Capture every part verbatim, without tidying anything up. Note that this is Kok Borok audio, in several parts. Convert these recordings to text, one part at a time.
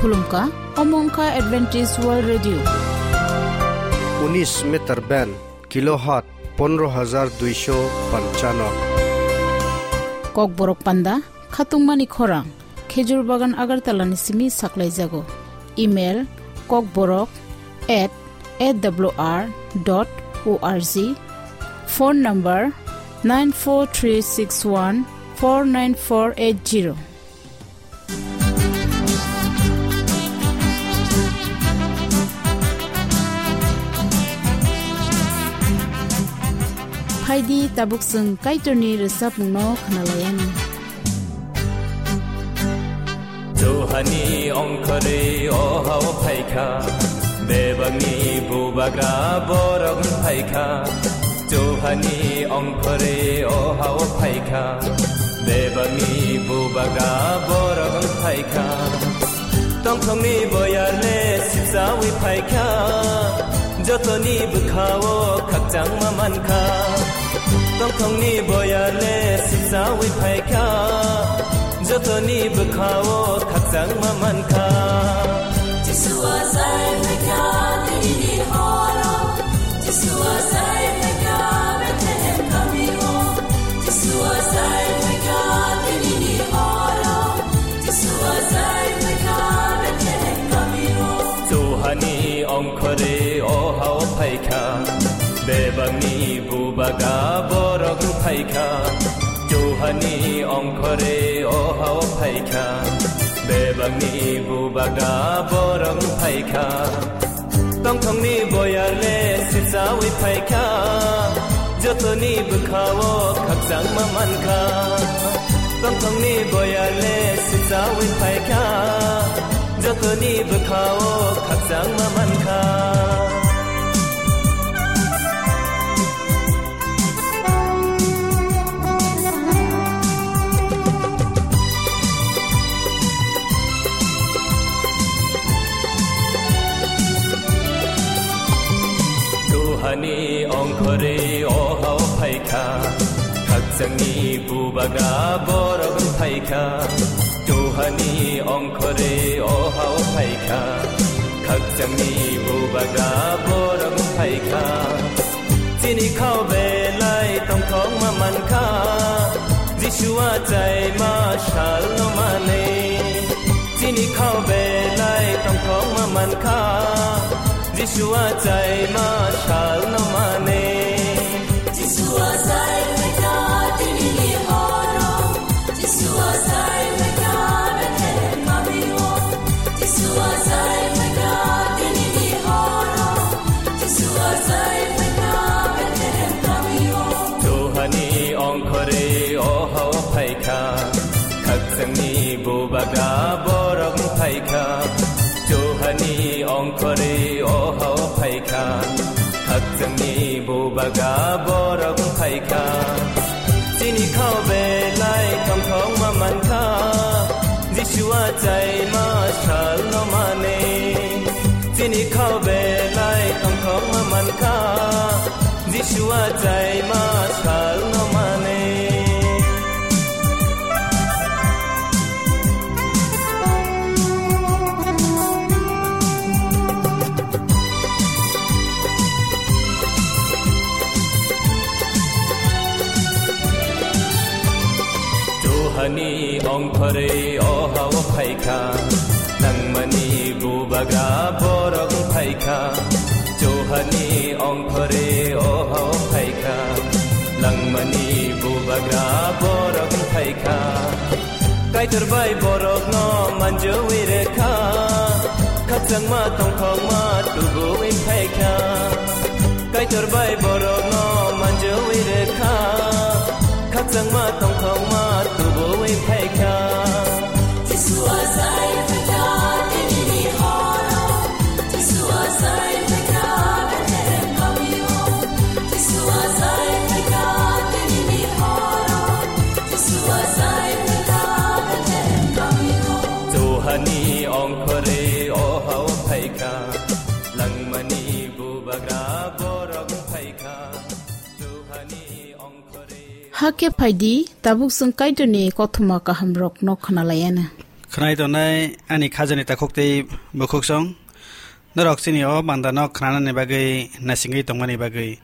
Khulumkha, omo wngkha Adventist World Radio. Unis meter band, kilohertz pondro hajar duisho panchano. Kokborok panda, khatungmani khorang, Khejur Bagan Agartala ni simi saklaijago. Email, kokborok at A W R dot O R G. Phone number, nine four three six one four nine four eight zero. Phaidi tabuk chwng Kaitorni rwchapmungno khwnalaiyani. Johani ongkhorwi o hao phaikha, bebakni bubagra borok phaikha. Johani ongkhorwi o hao phaikha, bebakni bubagra borok phaikha. Tongthokni boyarle sipsawi phaikha, jotoni bwkhao khakchangma mankha. Tongthokni boyarle sipsawi phaikha, jotoni bwkhao khakchangma mankha. Jisu achai phaikha, dinini horo. Jisu achai phaikha, Bethlehem kamio. Jisu achai phaikha, dinini horo. Jisu achai phaikha, Bethlehem kamio. Johani ongkhorwi o hao phaikha, bebakni bubagra borok phaikha. Johani ongkhorwi o hao phaikha, bebakni bubagra borok phaikha. Tongthokni boyarle sipsawi phaikha, jotoni bwkhao khakchangma mankha. Tongthokni boyarle sipsawi phaikha, jotoni bwkhao khakchangma mankha. Johani ongkhorwi o hao phaikha, khakchangni bubagra borok phaikha. Johani ongkhorwi o hao phaikha, khakchangni bubagra borok phaikha. Chini khao belai tongthokma mankha, Jisu achaima salno manwi. Chini khao belai tongthokma mankha, Jisu achaima salno manwi. Jisu achai phaikha dinini horo. Jisu achai phaikha Bethlehem kamio. Jisu achai phaikha dinini horo. Jisu achai phaikha Bethlehem kamio. Johani ongkhorwi o hao phaikha, khakchangni bubagra borok phaikha. Johani ongkhorwi o hao phaikha, khakchangni bubagra borok phaikha. Chini khao belai tongthokma mankha, Jisu achaima salno manwi. Chini khao belai tongthokma mankha, Jisu achaima salno manwi. Johani ongkhorwi o hao phaikha, nangmani bubagra borok phaikha. Johani ongkhorwi o hao phaikha, langmani bubagra borok phaikha. Kaitor bai borokno manjui rekha, khakchangma tongthokma tubuwi phaikha. Kaitor bai borokno manjui rekha, khakchangma tongthokma tubuwi phaikha. Jisu achai phaikha dinini horo. Jisu achai phaikha Bethlehem kamio. Jisu achai phaikha dinini horo. Jisu achai phaikha Bethlehem kamio. Johani ongkhorwi o hao phaikha, langmani bubagra borok phaikha. Johani ongkhorwi. Hakhe phaidi, tabuk chwng Kaitorni kothoma kahamrokno khwnalaiyana. Khwnai tongnai ani khajani takhuk tei bukhuksong, norok chini o bandano khwnanani bagwi naisingwi tongmani bagwi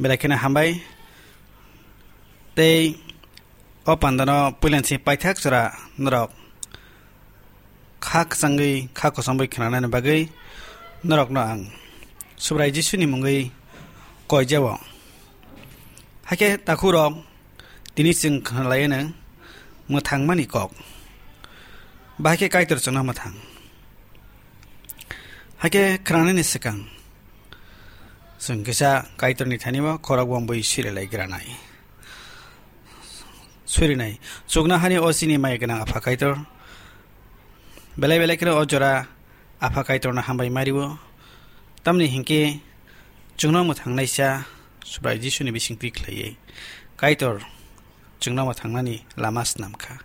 belai kheno hambai. Tei o bandano puilansing paithak jora norok kha kwchangwi, kha kochomwi khwnanani bagwi norokno ang Subrai Jisuni mungwi koijao. Hakhe takhukrok, tini chwng khwnalaiyano mwthangmani kok. Bahai khe Kaitor chwngno mwthang. Hakhe khwnanani swkang chwng kisa Kaitorni thani-o khorok bombwi sirilai granai. Surinai. Chuknohani o chini maya gwnang Apha Kaitor. Belai belai kheno o jora Apha Kaitorno hambai mario. Tamni hinkhe chwngno mwthangnaisa Subrai Jisuni bisingtwi khlaiwi Kaitor chwngno mwthangnani lama snamkha.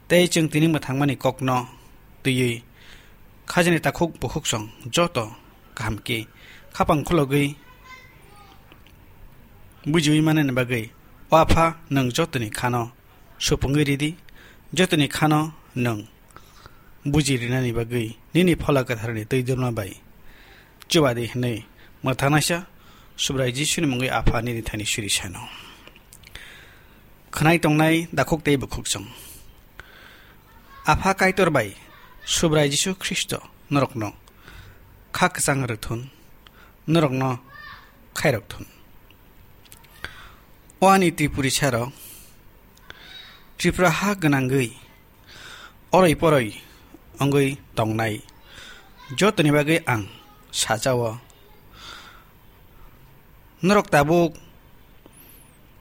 Tei chwng tini mwthangmani kokno twiwi khajani takhuk bukhuksong joto kaham khe khapang khulogwi bujiwi manani bagwi, O Apha, nwng jotoni khano supungwi ridi, jotoni khano nwng buji rinani bagwi nini Phola Kwtharni twi dulma bai chubadi hwnwi mwthangnaisa Subrai Jisuni mungwi Apha nini thani suri sano. Khwnai tongnai dakhuk tei bukhuksong. Apha Kaitor bai Subrai Jisu Khristo norokno kha kwchang rwthun, norokno khairok thun. O ani Tripuri sarok, Tripura ha gwnangwi oroi poroi wngwi tongnai jotoni bagwi ang sajao. Norok tabuk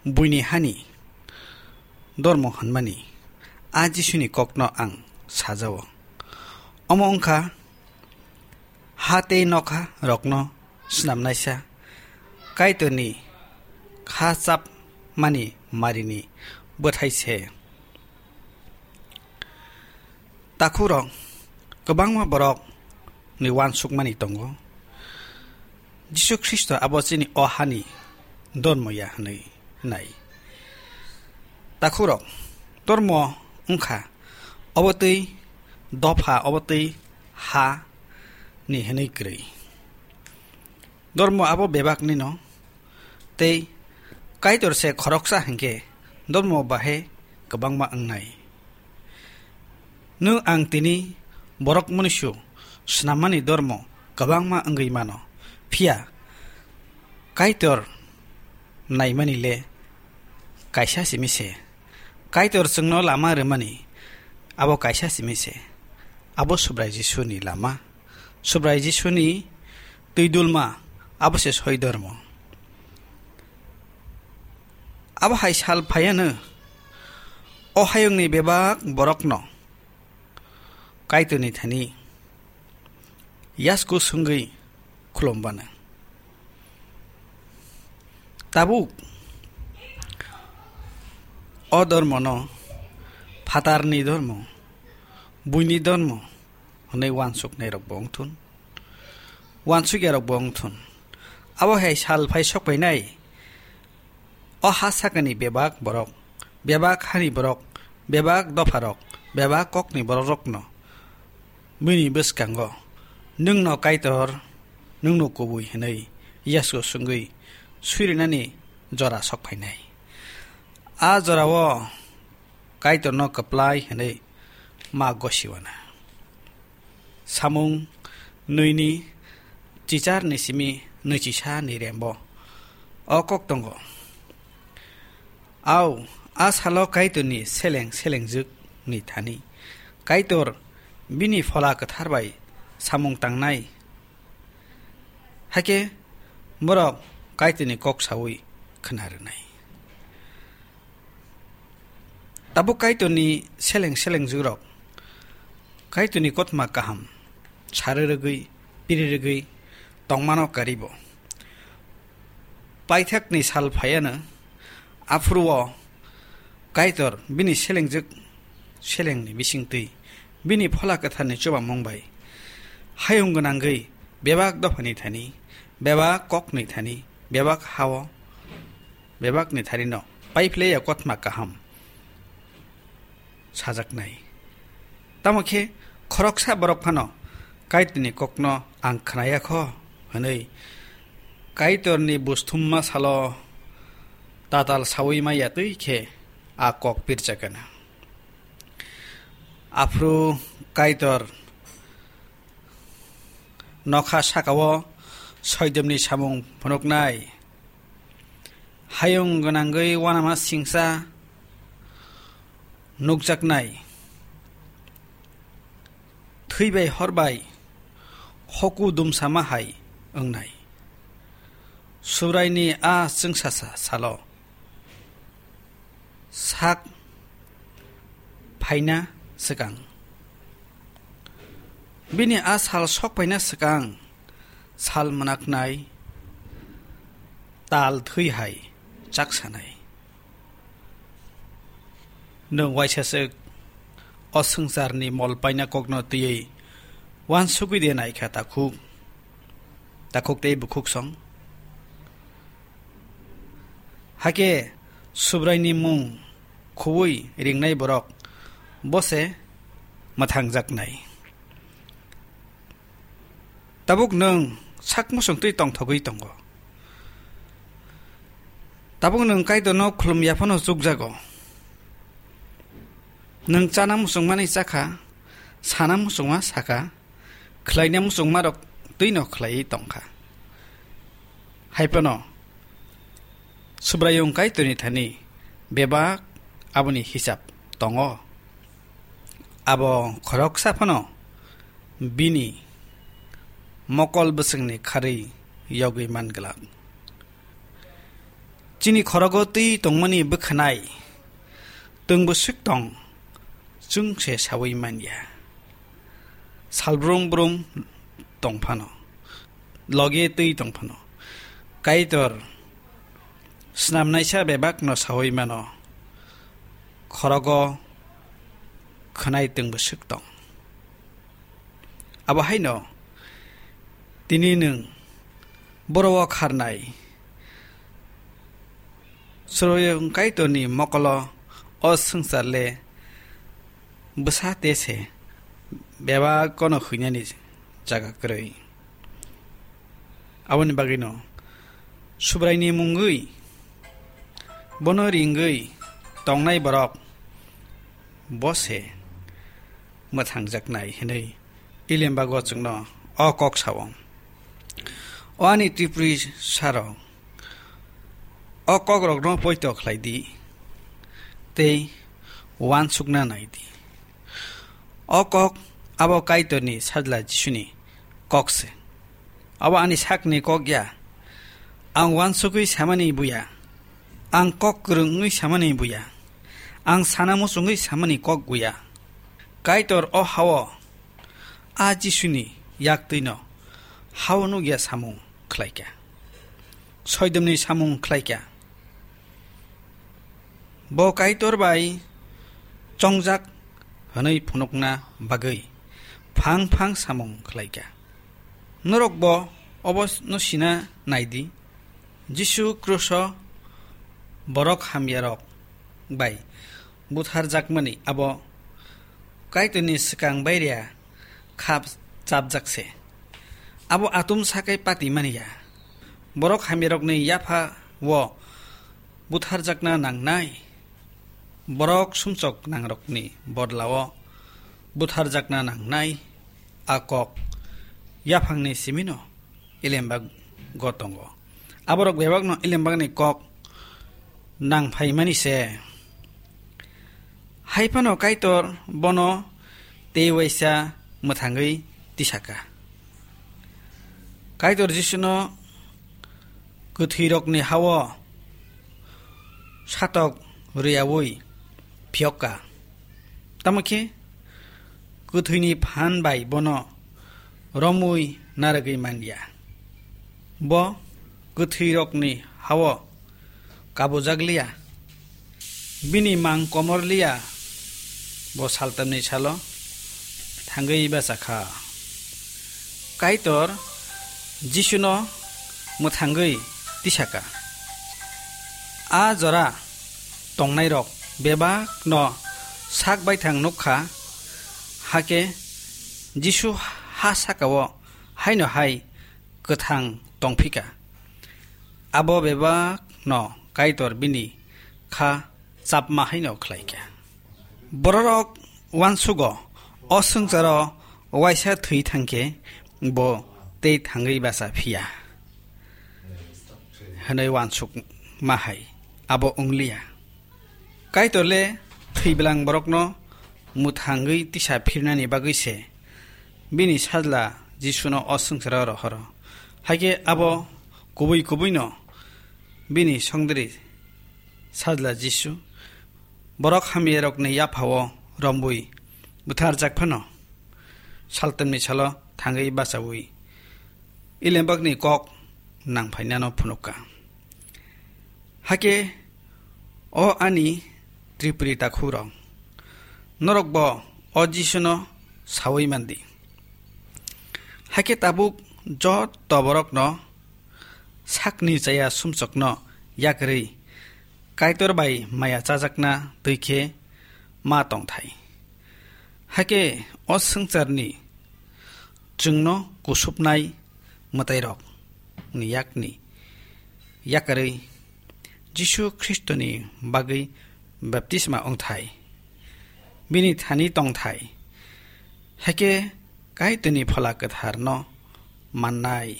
buini hani dormo hwnmani a Jisuni kokno ang sajao. Omo wngkha ha tei nokha rokno snamnaisa Kaitorni kha chapmani marini bwthai se. Takhukrok, kwbangma borokni uansukmani tongo, Jisu Khristo abo chini o hani dormo ya hwnwi nai. Takhukrok, dormo wngkha obo twi dopha, obo twi ha ni hwnwi kwrwi. Dormo abo bebaknino, tei Kaitor se khoroksa hinkhe dormo bahe kwbangma wngnai. Nwng ang tini borok mwnwisu swnammani dormo kwbangma wngwi mano, phiya Kaitor naimani le kaisa simi se. Kaitor chwngno lama rwmani abo kaisa simi se. Abo Subrai Jisuni lama. Subrai Jisuni twi dulma abo se soi dormo. Abo hai sal phaiano o hayungni bebak borokno Kaitorni thani yasku swngwi khulum bana. Tabuk o dormono phatarni dormo, buini dormo hwnwi uansuknairokbo wngthun, uansukya rokbo wngthun. Abo hai sal phai sok phainai, o ha sakani bebak borok, bebak hani borok, bebak dopharok, bebak kokni borokrokno bini bwskango nwngno Kaitor, nwngno kubui hwnwi yasku swngwi suirinani jora sok phainai. A jorao Kaitorno kwplai hwnwi ma gosiwana. Samung nwini chicharni simi nwichisa ni rembo o kok tongo. Au, a salo Kaitorni seleng selengjwk ni thani Kaitor bini Phola Kwthar bai samung tangnai. Hakhe borok Kaitorni kok saui khna rwnai. Tabuk Kaitorni seleng selengjwkrok Kaitorni kothoma kaham sari rwgwi, piri rwgwi tongmano karibo. Paithakni sal phaiano aphuru-o Kaitor bini selengjwk selengni bisingtwi bini Phola Kwtharni chubamung bai hayung gwnangwi bebak dophani thani, bebak kokni thani, bebak ha-o bebakni tharino paiphlaiya kothoma kaham sajaknai. Tamo khe khoroksa borok phano Kaitorni kokno ang khnaya kho hwnwi Kaitorni busthumma salo tatal saui maya twi khe a kok pirchakana. Aphuru Kaitor nokha sakao soidomni samung phunuknai, hayung gwnangwi uanama singsa nukjaknai, thwi bai hor bai hoku dumsama hai wngnai. Subraini a chwngsasa salo sak phaina swkang, bini a sal sok phaina swkang sal mwnaknai tal thwi hai chaksanai. Nwng waisaswk o swngcharni mol paina kokno twiwi uansugwi de naikha takhuk, takhuk tei bukhuk song? Hakhe Subraini mung khuui ringnai borok bo se mwthangjaknai. Tabuk nwng sak muchungtwi tongthogwi tongo. Tabuk nwng Kaitorno khulum ya phano chukjago. Nwng chana muchungmani chakha, sana muchungma sakha, khlaina muchungmarok twino khlaiwi tongkha. Hai phano Subraiyung Kaitorni thani bebak aboni hisab tongo. Abo khoroksa phano bini mokol bwswngni kharwi yogwi man glak. Chini khorogo twi tongmani bwkhanai twng bwswk tong, chwng se saui man ya. Sal brum brum tong phano, loge twi tong phano, Kaitor snamnaisa bebakno saui mano, khorogo khwnai twng bwswk tong. Abo haino tini nwng boro-o kharnai Subraiyung Kaitorni mokolo o swngchar le bwsa te se bebak kono hwinani jaga kwrwi. Aboni bagwino Subraini mungwi bono ringwi tongnai borok bo se mwthangjaknai hwnwi Ilembago chwngno o kok sao. O ani Tipri sarok, o kokrokno poito khlai di tei uansukna nai di. O kok abo Kaitorni Sajla Jisuni kok se. Abo ani sakni kok ya. Ang uansugwi samani buya. Ang kok kwrwngwi samani buya. Ang sana muchungwi samani kok buya. Kaitor o hao a Jisuni yaktwino hao nukya samung khlaikha. Soidomni samung khlaikha. Bo Kaitor bai chongjak hwnwi phunukna bagwi phang phang samung khlaikha. Norokbo obo no sina naidi, Jisu kruso borok hamyarok bai butharjakmani abo Kaitorni swkang bairia khap chapjak se. Abo atum sakai pati mani ya. Borok hamyarokni yapha o butharjakna nangnai. Borok sumchok nangrokni bodlao butharjakna nangnai. A kok yaphangni simino Ilembago tongo. Aborok bebakno Ilembagni kok nang phaimani se. Hai phano Kaitor bono tei waisa mwthangwi tisaka. Kaitor Jisuno kwthwirokni hao satok rwyaui phiyokka. Tamo khe kwthwini phan bai bono romwi narwgwi man ya. Bo kwthwirokni hao kabujak liya, bini mang komor liya, bo saltamni salo thangwi bachakha. Kaitor Jisuno mwthangwi tisaka. A jora tongnairok bebakno sak baithang nukha, Hakhe Jisu ha saka-o haino hai kwthang tongphika. Abo bebakno Kaitor bini kha chapma haino khlaikha. Bororok uansugo, "O swngcharo waisa thwi thangkhe bo tei thangwi bacha phiya," hwnwi uansukma hai. Abo wngliya. Kaitor le thwi bwlang borokno mwthangwi tisa phirnani bagwi se bini sajla Jisuno o swngcharo rohoro. Hakhe abo kubui kubuino bini songdri sajla Jisu borok hamyarokni yaphao romwi butharjak phano, saltwmni salo thangwi bachaui Elembakni kok nangphainano phunukha. Hakhe o ani Tripuri takhukrok, norokbo o Jisuno saui mandi. Hakhe tabuk joto borokno sakni chaya sumsokno yakarwi Kaitor bai maya chajakna twi khe ma tongthai. Hakhe o swngcharni chwngno kusupnai mwtairokni yakni yakarwi Jisu Khristoni bagwi baptisma wngthai, bini thani tongthai, hakhe Kaitorni Phola Kwtharno mannai.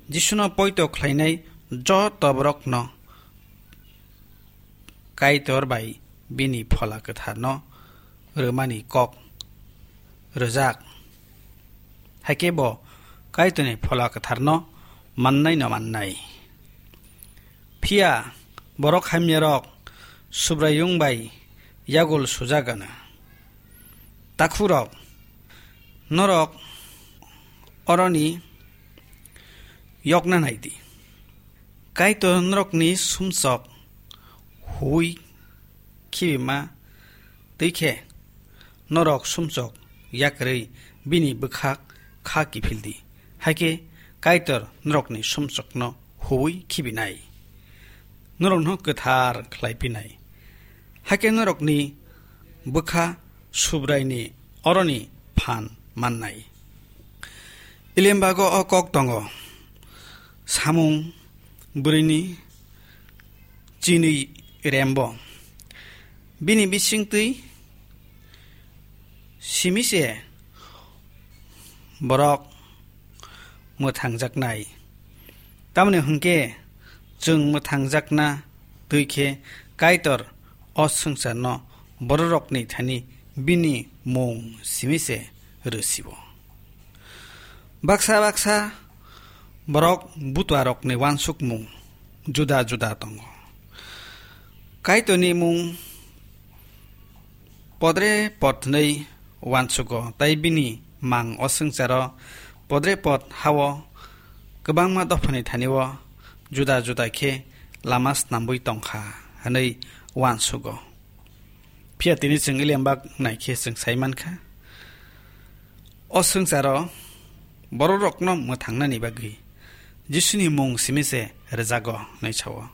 Jisuno poito khlainai joto borokno Kaitor bai bini Phola Kwtharno rwmani kok rwjak. Hakhe bo Kaitorni Phola Kwtharno mannaino mannai. Phiya borok hamyarok Subraiyung bai yagul sujak gana. Takhukrok, norok oroni yokna nai di. Kaitor norokni sumsok huui khibima twi khe, norok sumsok yakarwi bini bwkhak kha kiphil di. Hakhe Kaitor norokni sumsokno huui khibinai, norokno kwthar khlai phinai. Hakhe norokni bwkha Subraini oroni phan mannai. Elembago o kok tongo, samung bwrwini chinwi rembo. Bini bisingtwi simi se borok mwthangjaknai. Tamoni hwnkhe, chwng mwthangjakna twi khe Kaitor o swngcharno bororokni thani bini mung simi se rw sio. Baksa baksa borok butuarokni uansukmung juda juda tongo. Kaitorni mung podre pod hwnwi uansugo, tei bini mang o swngcharo podre pod hao kwbangma dophani thanio juda juda khe lama snambwi tongkha hwnwi uansugo. Phiya tini chwng Elembak nai khe chwng sai mankha, o swngcharo bororokno mwthangnani bagwi Jisuni mung simi se rwjago hwnwi sao.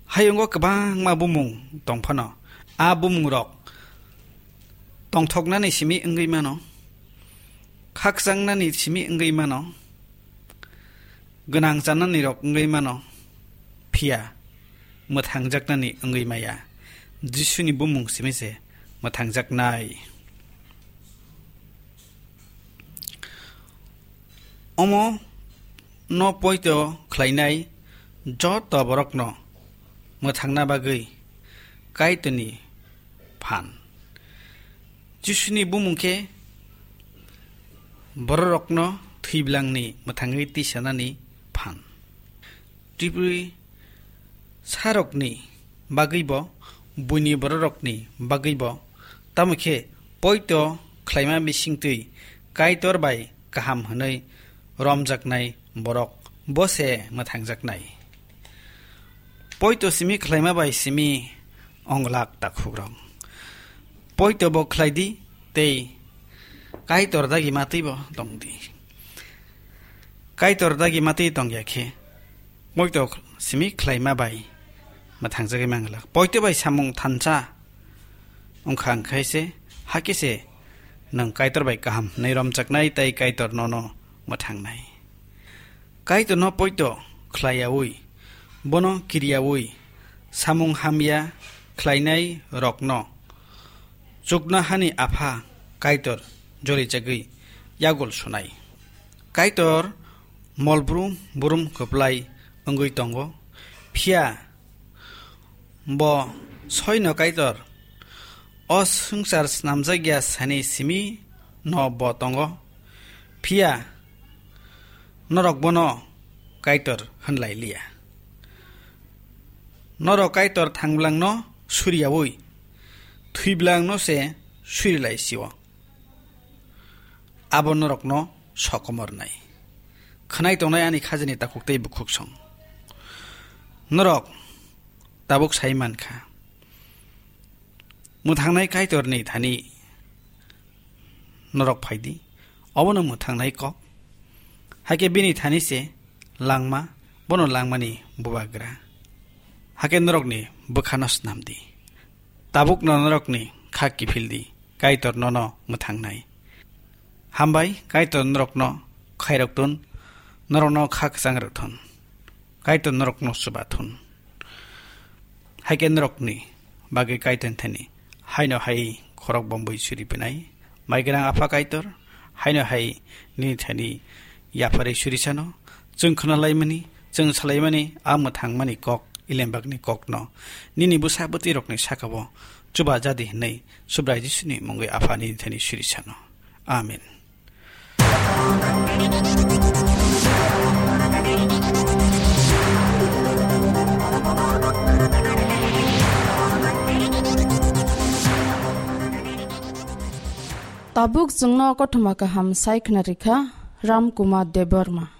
Hayungo kwbangma bumung tong phano, a bumungrok tongthoknani simi wngwi mano, khakchangnani simi wngwi mano, gwnang chanani rok wngwi mano, phiya mwthangjaknani wngwi maya. Jisuni bumung simi se mwthangjaknai. Omo no poito khlainai joto borokno mwthangna bagwi Kaitorni phan. Jisuni bumung khe bororokno thwiblangni mwthangwi tisanani phan. Tripuri sarokni bagwibo, buini bororokni bagwibo, tamo khe poito khlaima bisingtwi Kaitor bai kaham hwnwi romjaknai borok bo se mwthangjaknai. Poito simi khlaima bai simi onglak takhukrok. Poito bo khlai di tei Kaitor dagi matwi bo tong di. Kaitor dagi matwi tong ya khe, poito simi khlaima bai mwthangjagwi manglak. Poito bai samung thansa wngkha, wngkhai se, hakhe se Nwng Kaitor bai kaham hwnwi romjaknai tei Kaitor nono mwthangnai. Kaitorno poito khlaiyaui, bono kiriyaui, samung hamya khlainai rokno chuknohani Apha Kaitor jolijagwi yagul sunai. Kaitor molbrum burum kwplai wngwi tongo, phiya bo soino Kaitor o swngchar snamjakya sani simi no bo tongo, phiya norok bono Kaitor hwnlai liya. Norok Kaitor thangblangno suriyaui, thwiblangno se surilai sio. Abo norokno sokomornai. Khwnai tongnai ani khajani takhuk tei bukhuk song. Norok tabuk sai mankha. Mwthangnai Kaitorni thani norok phaidi. Obono mwthangnai kok. Hakhe bini thani se langma, bono langmani bubagra. Hakhe norokni bwkhano snamdi. Tabukno norokni kha kiphildi, Kaitor nono mwthangnai. Hambai, Kaitor norokno khairok thun, norokno kha kwchang rwk thun. Kaitor norokno chuba thun. Hakhe norokni bagwi Kaitor thani haino hai khorok bombwi suri phinai. Mai gwnang Apha Kaitor, haino hai nini thani yapharwi suri sano. Chwng khna laimani, chwng salaimani, a mwthangmani kok, Ilembakni kokno nini bwsa bwtwi rokni saka-o chuba jadi hwnwi Subrai Jisuni mungwi Apha nini thani suri sano. Amen. Tabuk chwngno kothoma kaham sai khna rikha Ram Kumar Debbarma.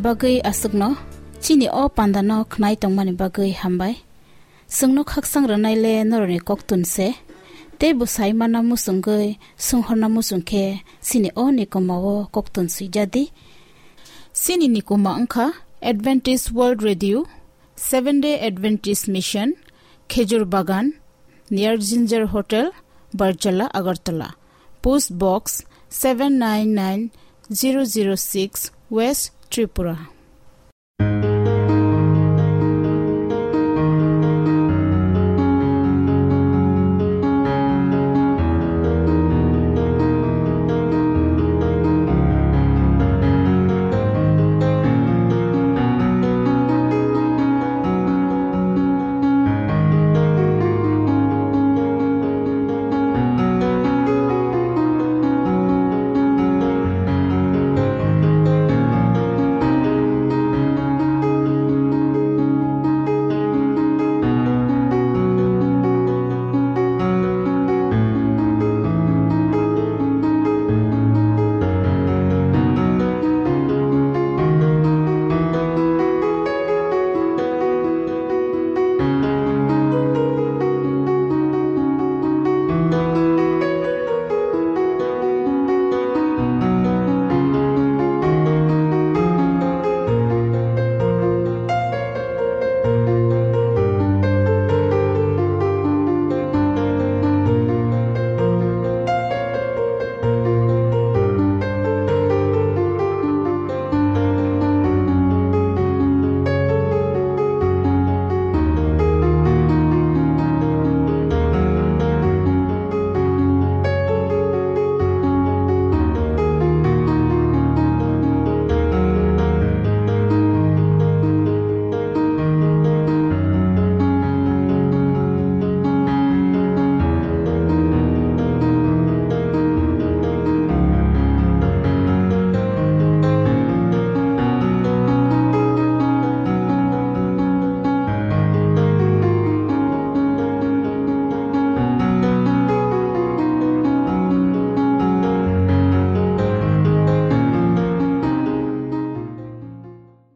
Bagwi aswkno chini o pandano khnai tongmani bagwi hambai. Chwngno khaksang rwnaile norokni koktun se. Tei bwsai mana muchungwi songhorna muchung khe chini o nikoma o koktun swijadi. Chini nikoma wngkha Adventist World Radio, Seven Day Adventist Mission, Khejur Bagan, near Ginger Hotel, Barjala, Agartala. Post Box seven nine nine zero zero six, West Tripura.